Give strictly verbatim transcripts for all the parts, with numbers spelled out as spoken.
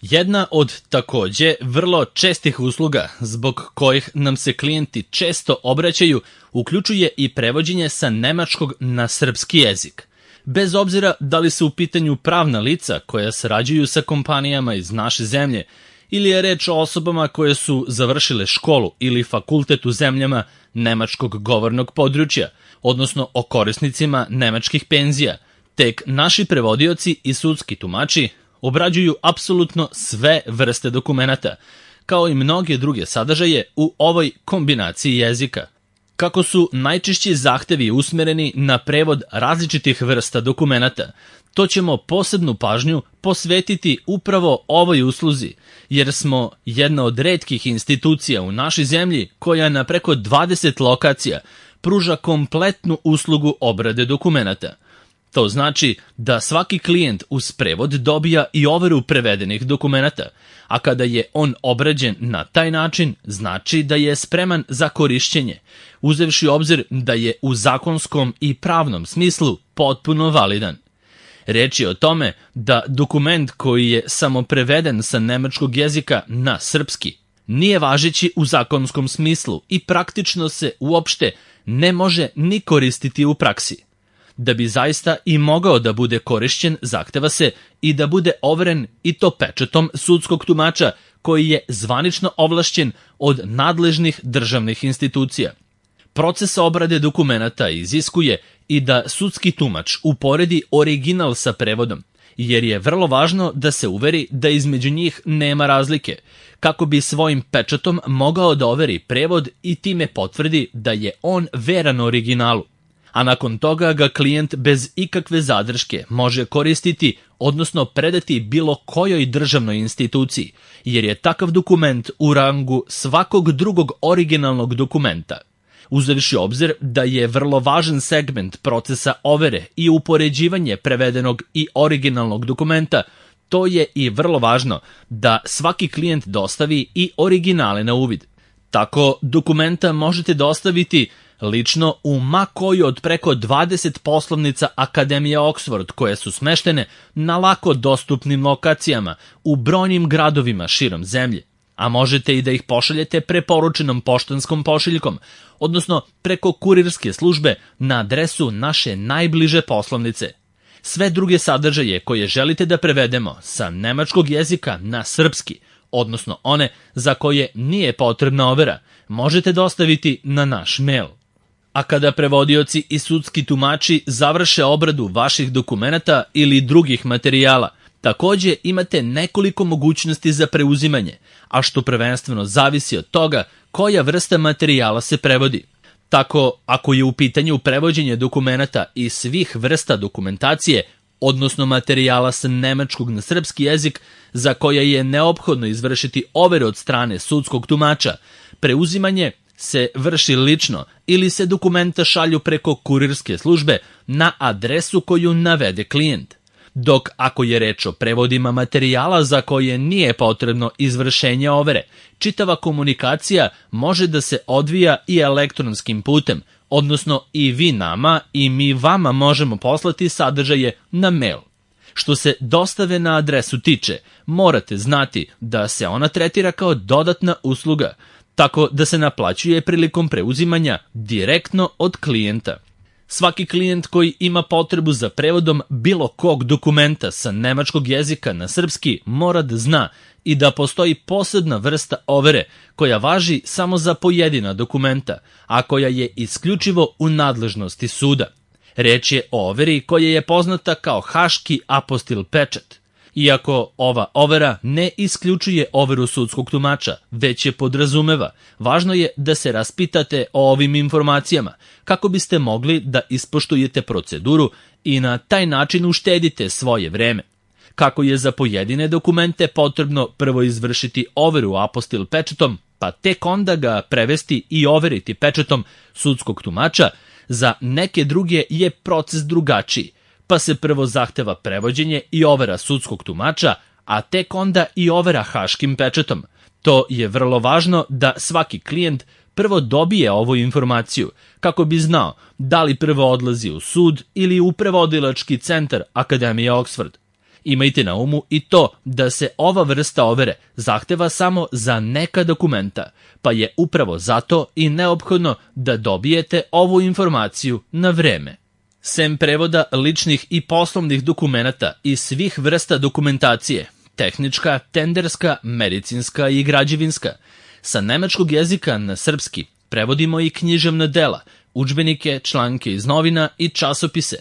Jedna od takođe vrlo čestih usluga zbog kojih nam se klijenti često obraćaju uključuje i prevođenje sa nemačkog na srpski jezik. Bez obzira da li su u pitanju pravna lica koja sarađuju sa kompanijama iz naše zemlje ili je reč o osobama koje su završile školu ili fakultet u zemljama nemačkog govornog područja, odnosno o korisnicima nemačkih penzija, tek naši prevodioci i sudski tumači obrađuju apsolutno sve vrste dokumenata, kao i mnoge druge sadržaje u ovoj kombinaciji jezika. Kako su najčešći zahtevi usmereni na prevod različitih vrsta dokumenata, to ćemo posebnu pažnju posvetiti upravo ovoj usluzi, jer smo jedna od retkih institucija u našoj zemlji koja na preko dvadeset lokacija pruža kompletnu uslugu obrade dokumenata. To znači da svaki klijent uz prevod dobija i overu prevedenih dokumenata, a kada je on obrađen na taj način, znači da je spreman za korišćenje, uzevši u obzir da je u zakonskom i pravnom smislu potpuno validan. Reč je o tome da dokument koji je samo preveden sa nemačkog jezika na srpski nije važeći u zakonskom smislu i praktično se uopšte ne može ni koristiti u praksi. Da bi zaista i mogao da bude korišćen, zahteva se i da bude overen i to pečatom sudskog tumača koji je zvanično ovlašćen od nadležnih državnih institucija. Proces obrade dokumenata iziskuje i da sudski tumač uporedi original sa prevodom, jer je vrlo važno da se uveri da između njih nema razlike, kako bi svojim pečatom mogao da overi prevod i time potvrdi da je on veran originalu. A nakon toga ga klijent bez ikakve zadrške može koristiti, odnosno predati bilo kojoj državnoj instituciji, jer je takav dokument u rangu svakog drugog originalnog dokumenta. Uzevši obzir da je vrlo važan segment procesa overe i upoređivanje prevedenog i originalnog dokumenta, to je i vrlo važno da svaki klijent dostavi i originale na uvid. Tako dokumenta možete dostaviti lično u ma koju od preko dvadeset poslovnica Akademije Oxford koje su smeštene na lako dostupnim lokacijama u brojnim gradovima širom zemlje, a možete i da ih pošaljete preporučenom poštanskom pošiljkom, odnosno preko kurirske službe na adresu naše najbliže poslovnice. Sve druge sadržaje koje želite da prevedemo sa nemačkog jezika na srpski, odnosno one za koje nije potrebna overa, možete dostaviti na naš mail. A kada prevodioci i sudski tumači završe obradu vaših dokumenata ili drugih materijala, takođe imate nekoliko mogućnosti za preuzimanje, a što prvenstveno zavisi od toga koja vrsta materijala se prevodi. Tako, ako je u pitanju prevođenje dokumenata i svih vrsta dokumentacije, odnosno materijala sa nemačkog na srpski jezik, za koje je neophodno izvršiti overu od strane sudskog tumača, preuzimanje se vrši lično ili se dokumenta šalju preko kurirske službe na adresu koju navede klijent. Dok ako je reč o prevodima materijala za koje nije potrebno izvršenje overe, čitava komunikacija može da se odvija i elektronskim putem, odnosno i vi nama i mi vama možemo poslati sadržaje na mail. Što se dostave na adresu tiče, morate znati da se ona tretira kao dodatna usluga, tako da se naplaćuje prilikom preuzimanja direktno od klijenta. Svaki klijent koji ima potrebu za prevodom bilo kog dokumenta sa nemačkog jezika na srpski mora da zna i da postoji posebna vrsta overe koja važi samo za pojedina dokumenta, a koja je isključivo u nadležnosti suda. Reč je o overi koja je poznata kao haški apostil pečat. Iako ova overa ne isključuje overu sudskog tumača, već je podrazumeva, važno je da se raspitate o ovim informacijama kako biste mogli da ispoštujete proceduru i na taj način uštedite svoje vreme. Kako je za pojedine dokumente potrebno prvo izvršiti overu apostil pečatom, pa tek onda ga prevesti i overiti pečatom sudskog tumača, za neke druge je proces drugačiji, pa se prvo zahteva prevođenje i overa sudskog tumača, a tek onda i overa haškim pečatom. To je vrlo važno da svaki klijent prvo dobije ovu informaciju, kako bi znao da li prvo odlazi u sud ili u prevodilački centar Akademije Oxford. Imajte na umu i to da se ova vrsta overe zahteva samo za neka dokumenta, pa je upravo zato i neophodno da dobijete ovu informaciju na vreme. Sem prevoda ličnih i poslovnih dokumenata i svih vrsta dokumentacije, tehnička, tenderska, medicinska i građevinska, sa nemačkog jezika na srpski prevodimo i književna dela, udžbenike, članke iz novina i časopise.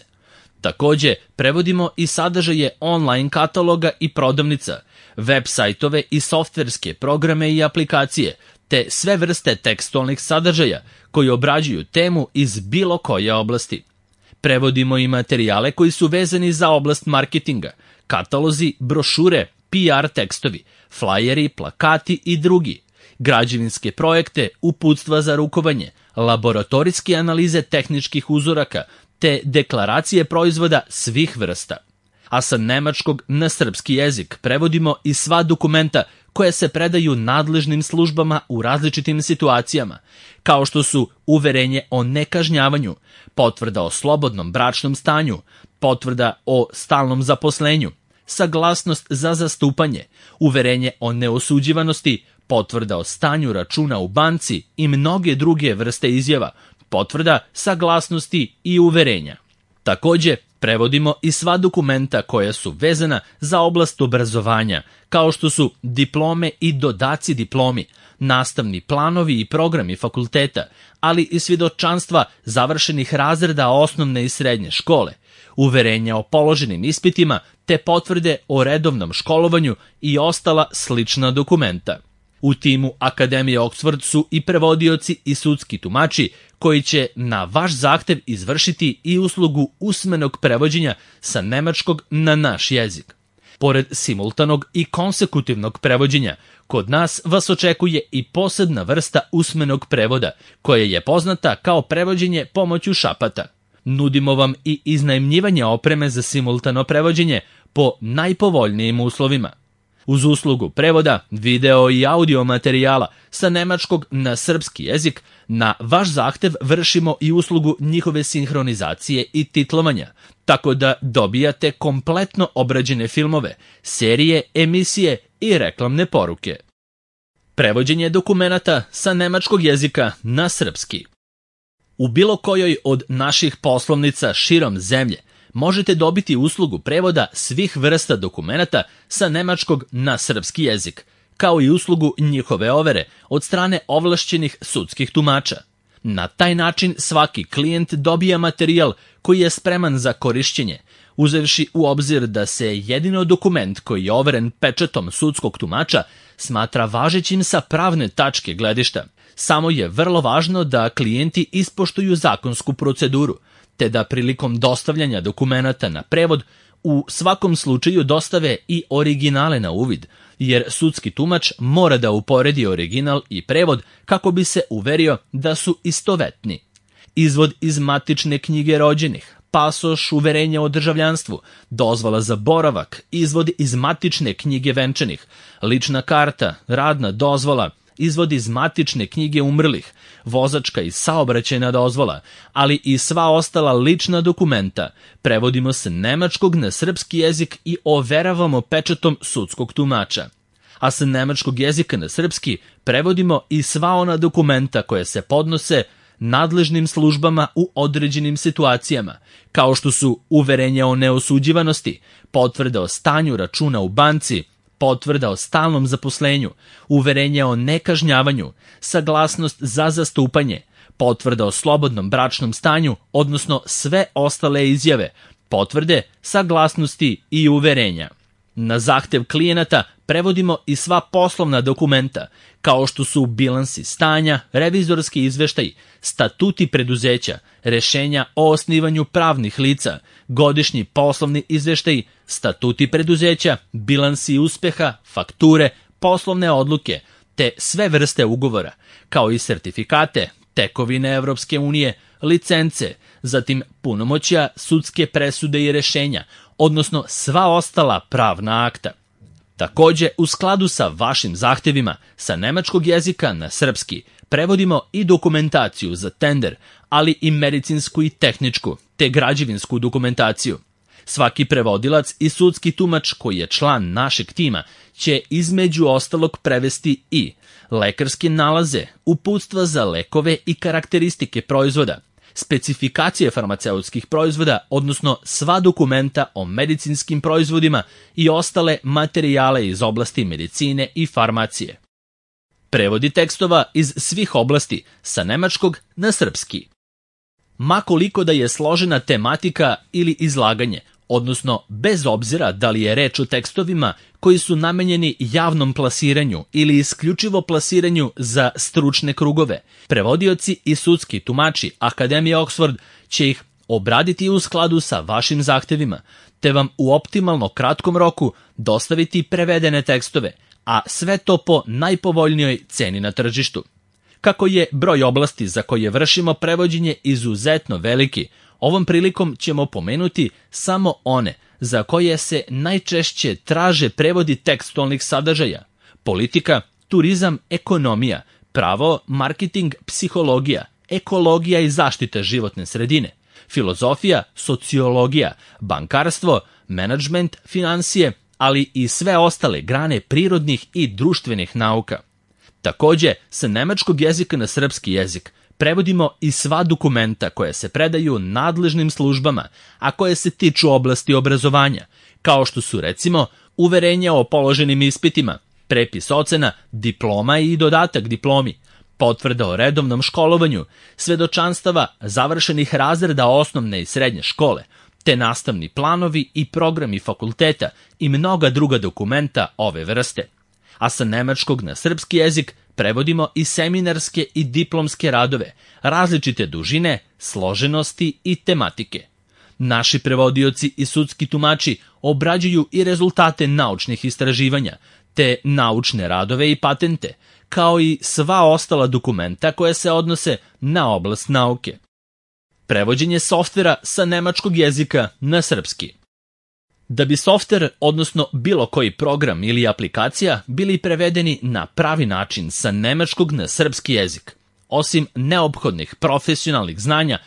Takođe, prevodimo i sadržaje online kataloga i prodavnica, web sajtove i softverske programe i aplikacije, te sve vrste tekstualnih sadržaja koji obrađuju temu iz bilo koje oblasti. Prevodimo i materijale koji su vezani za oblast marketinga, katalozi, brošure, P R tekstovi, flajeri, plakati i drugi, građevinske projekte, uputstva za rukovanje, laboratorijske analize tehničkih uzoraka, te deklaracije proizvoda svih vrsta. A sa nemačkog na srpski jezik prevodimo i sva dokumenta koje se predaju nadležnim službama u različitim situacijama, kao što su uverenje o nekažnjavanju, potvrda o slobodnom bračnom stanju, potvrda o stalnom zaposlenju, saglasnost za zastupanje, uverenje o neosuđivanosti, potvrda o stanju računa u banci i mnoge druge vrste izjava, potvrda, saglasnosti i uverenja. Takođe, prevodimo i sva dokumenta koja su vezana za oblast obrazovanja, kao što su diplome i dodaci diplomi, nastavni planovi i programi fakulteta, ali i svjedočanstva završenih razreda osnovne i srednje škole, uverenja o položenim ispitima te potvrde o redovnom školovanju i ostala slična dokumenta. U timu Akademije Oxford su i prevodioci i sudski tumači koji će na vaš zahtev izvršiti i uslugu usmenog prevođenja sa nemačkog na naš jezik. Pored simultanog i konsekutivnog prevođenja, kod nas vas očekuje i posebna vrsta usmenog prevoda, koja je poznata kao prevođenje pomoću šapata. Nudimo vam i iznajmljivanje opreme za simultano prevođenje po najpovoljnijim uslovima. Uz uslugu prevoda, video i audio materijala sa nemačkog na srpski jezik, na vaš zahtev vršimo i uslugu njihove sinhronizacije i titlovanja, tako da dobijate kompletno obrađene filmove, serije, emisije i reklamne poruke. Prevođenje dokumenata sa nemačkog jezika na srpski. U bilo kojoj od naših poslovnica širom zemlje možete dobiti uslugu prevoda svih vrsta dokumenata sa nemačkog na srpski jezik, kao i uslugu njihove overe od strane ovlašćenih sudskih tumača. Na taj način svaki klijent dobija materijal koji je spreman za korišćenje, uzevši u obzir da se jedino dokument koji je overen pečatom sudskog tumača smatra važećim sa pravne tačke gledišta. Samo je vrlo važno da klijenti ispoštuju zakonsku proceduru, te da prilikom dostavljanja dokumenata na prevod u svakom slučaju dostave i originale na uvid, jer sudski tumač mora da uporedi original i prevod kako bi se uverio da su istovetni. Izvod iz matične knjige rođenih, pasoš, uverenje o državljanstvu, dozvola za boravak, izvod iz matične knjige venčanih, lična karta, radna dozvola, izvod iz matične knjige umrlih, vozačka i saobraćajna dozvola, ali i sva ostala lična dokumenta prevodimo sa nemačkog na srpski jezik i overavamo pečatom sudskog tumača. A sa nemačkog jezika na srpski prevodimo i sva ona dokumenta koja se podnose nadležnim službama u određenim situacijama, kao što su uverenja o neosuđivanosti, potvrda o stanju računa u banci, potvrda o stalnom zaposlenju, uverenje o nekažnjavanju, saglasnost za zastupanje, potvrda o slobodnom bračnom stanju, odnosno sve ostale izjave, potvrde, saglasnosti i uverenja. Na zahtev klijenata prevodimo i sva poslovna dokumenta, kao što su bilansi stanja, revizorski izveštaj, statuti preduzeća, rešenja o osnivanju pravnih lica, godišnji poslovni izveštaj, statuti preduzeća, bilansi uspeha, fakture, poslovne odluke, te sve vrste ugovora, kao i sertifikate, tekovine Evropske unije, licence, zatim punomoćja, sudske presude i rešenja, odnosno sva ostala pravna akta. Takođe, u skladu sa vašim zahtevima, sa nemačkog jezika na srpski, prevodimo i dokumentaciju za tender, ali i medicinsku i tehničku, te građevinsku dokumentaciju. Svaki prevodilac i sudski tumač koji je član našeg tima će između ostalog prevesti i lekarske nalaze, uputstva za lekove i karakteristike proizvoda, specifikacije farmaceutskih proizvoda, odnosno sva dokumenta o medicinskim proizvodima i ostale materijale iz oblasti medicine i farmacije. Prevodi tekstova iz svih oblasti sa nemačkog na srpski. Ma koliko da je složena tematika ili izlaganje, odnosno bez obzira da li je reč o tekstovima koji su namenjeni javnom plasiranju ili isključivo plasiranju za stručne krugove, prevodioci i sudski tumači Akademije Oxford će ih obraditi u skladu sa vašim zahtevima, te vam u optimalno kratkom roku dostaviti prevedene tekstove, a sve to po najpovoljnijoj ceni na tržištu. Kako je broj oblasti za koje vršimo prevođenje izuzetno veliki, ovom prilikom ćemo pomenuti samo one za koje se najčešće traže prevodi tekstualnih sadržaja: politika, turizam, ekonomija, pravo, marketing, psihologija, ekologija i zaštita životne sredine, filozofija, sociologija, bankarstvo, menadžment, finansije, ali i sve ostale grane prirodnih i društvenih nauka. Takođe, sa nemačkog jezika na srpski jezik prevodimo i sva dokumenta koja se predaju nadležnim službama, a koje se tiču oblasti obrazovanja, kao što su recimo uverenja o položenim ispitima, prepis ocena, diploma i dodatak diplomi, potvrda o redovnom školovanju, svedočanstava završenih razreda osnovne i srednje škole, te nastavni planovi i programi fakulteta i mnoga druga dokumenta ove vrste. A sa nemačkog na srpski jezik prevodimo i seminarske i diplomske radove, različite dužine, složenosti i tematike. Naši prevodioci i sudski tumači obrađuju i rezultate naučnih istraživanja, te naučne radove i patente, kao i sva ostala dokumenta koje se odnose na oblast nauke. Prevođenje softvera sa nemačkog jezika na srpski. Da bi softver, odnosno bilo koji program ili aplikacija, bili prevedeni na pravi način sa nemačkog na srpski jezik, osim neophodnih profesionalnih znanja,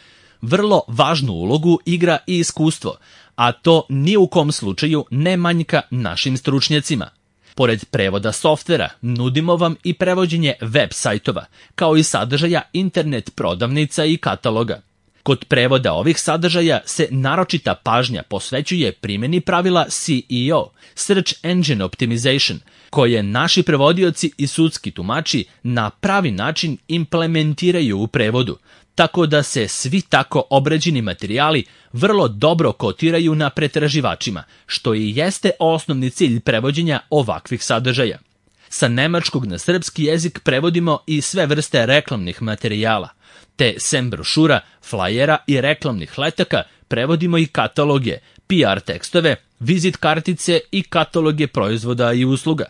vrlo važnu ulogu igra i iskustvo, a to ni u kom slučaju ne manjka našim stručnjacima. Pored prevoda softvera, nudimo vam i prevođenje web sajtova, kao i sadržaja internet prodavnica i kataloga. Kod prevoda ovih sadržaja se naročita pažnja posvećuje primjeni pravila C E O, Search Engine Optimization, koje naši prevodioci i sudski tumači na pravi način implementiraju u prevodu, tako da se svi tako obrađeni materijali vrlo dobro kotiraju na pretraživačima, što i jeste osnovni cilj prevođenja ovakvih sadržaja. Sa nemačkog na srpski jezik prevodimo i sve vrste reklamnih materijala, te sem brošura, flajera i reklamnih letaka prevodimo i kataloge, P R tekstove, vizit kartice i kataloge proizvoda i usluga.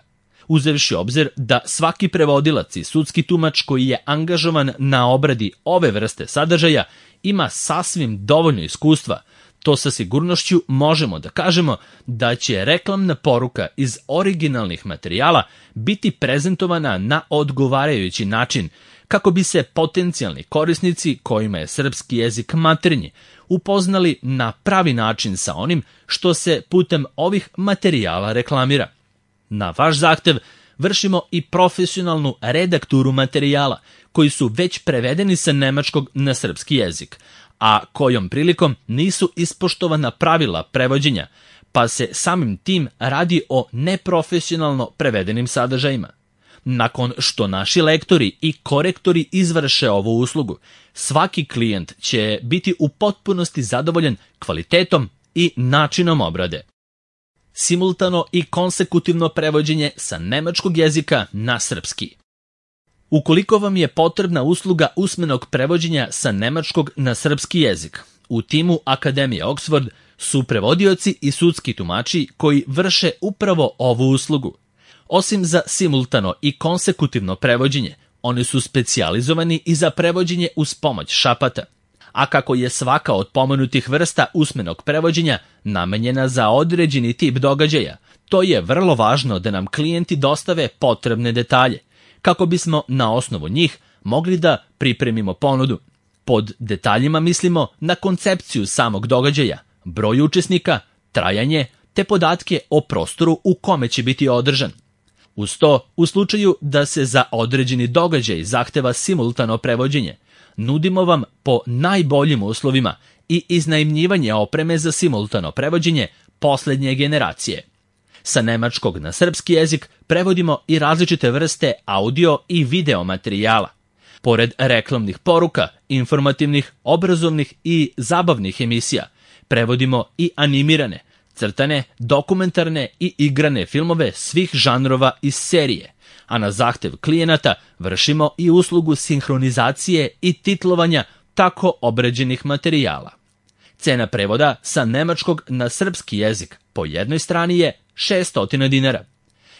Uzevši obzir da svaki prevodilac i sudski tumač koji je angažovan na obradi ove vrste sadržaja ima sasvim dovoljno iskustva, to sa sigurnošću možemo da kažemo da će reklamna poruka iz originalnih materijala biti prezentovana na odgovarajući način, kako bi se potencijalni korisnici kojima je srpski jezik maternji upoznali na pravi način sa onim što se putem ovih materijala reklamira. Na vaš zahtev vršimo i profesionalnu redakturu materijala koji su već prevedeni sa nemačkog na srpski jezik, a kojom prilikom nisu ispoštovana pravila prevođenja, pa se samim tim radi o neprofesionalno prevedenim sadržajima. Nakon što naši lektori i korektori izvrše ovu uslugu, svaki klijent će biti u potpunosti zadovoljan kvalitetom i načinom obrade. Simultano i konsekutivno prevođenje sa nemačkog jezika na srpski. Ukoliko vam je potrebna usluga usmenog prevođenja sa nemačkog na srpski jezik, u timu Akademije Oxford su prevodioci i sudski tumači koji vrše upravo ovu uslugu. Osim za simultano i konsekutivno prevođenje, oni su specijalizovani i za prevođenje uz pomoć šapata. A kako je svaka od pomenutih vrsta usmenog prevođenja namenjena za određeni tip događaja, to je vrlo važno da nam klijenti dostave potrebne detalje, kako bismo na osnovu njih mogli da pripremimo ponudu. Pod detaljima mislimo na koncepciju samog događaja, broj učesnika, trajanje te podatke o prostoru u kome će biti održan. Uz to, u slučaju da se za određeni događaj zahteva simultano prevođenje, nudimo vam po najboljim uslovima i iznajmljivanje opreme za simultano prevođenje poslednje generacije. Sa nemačkog na srpski jezik prevodimo i različite vrste audio i video materijala. Pored reklamnih poruka, informativnih, obrazovnih i zabavnih emisija, prevodimo i animirane, crtane, dokumentarne i igrane filmove svih žanrova iz serije, a na zahtev klijenata vršimo i uslugu sinhronizacije i titlovanja tako obrađenih materijala. Cena prevoda sa nemačkog na srpski jezik po jednoj strani je šessto dinara.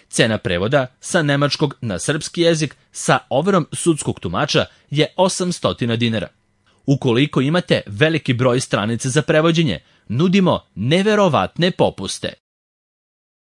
Cena prevoda sa nemačkog na srpski jezik sa overom sudskog tumača je osamsto dinara. Ukoliko imate veliki broj stranica za prevođenje, nudimo neverovatne popuste.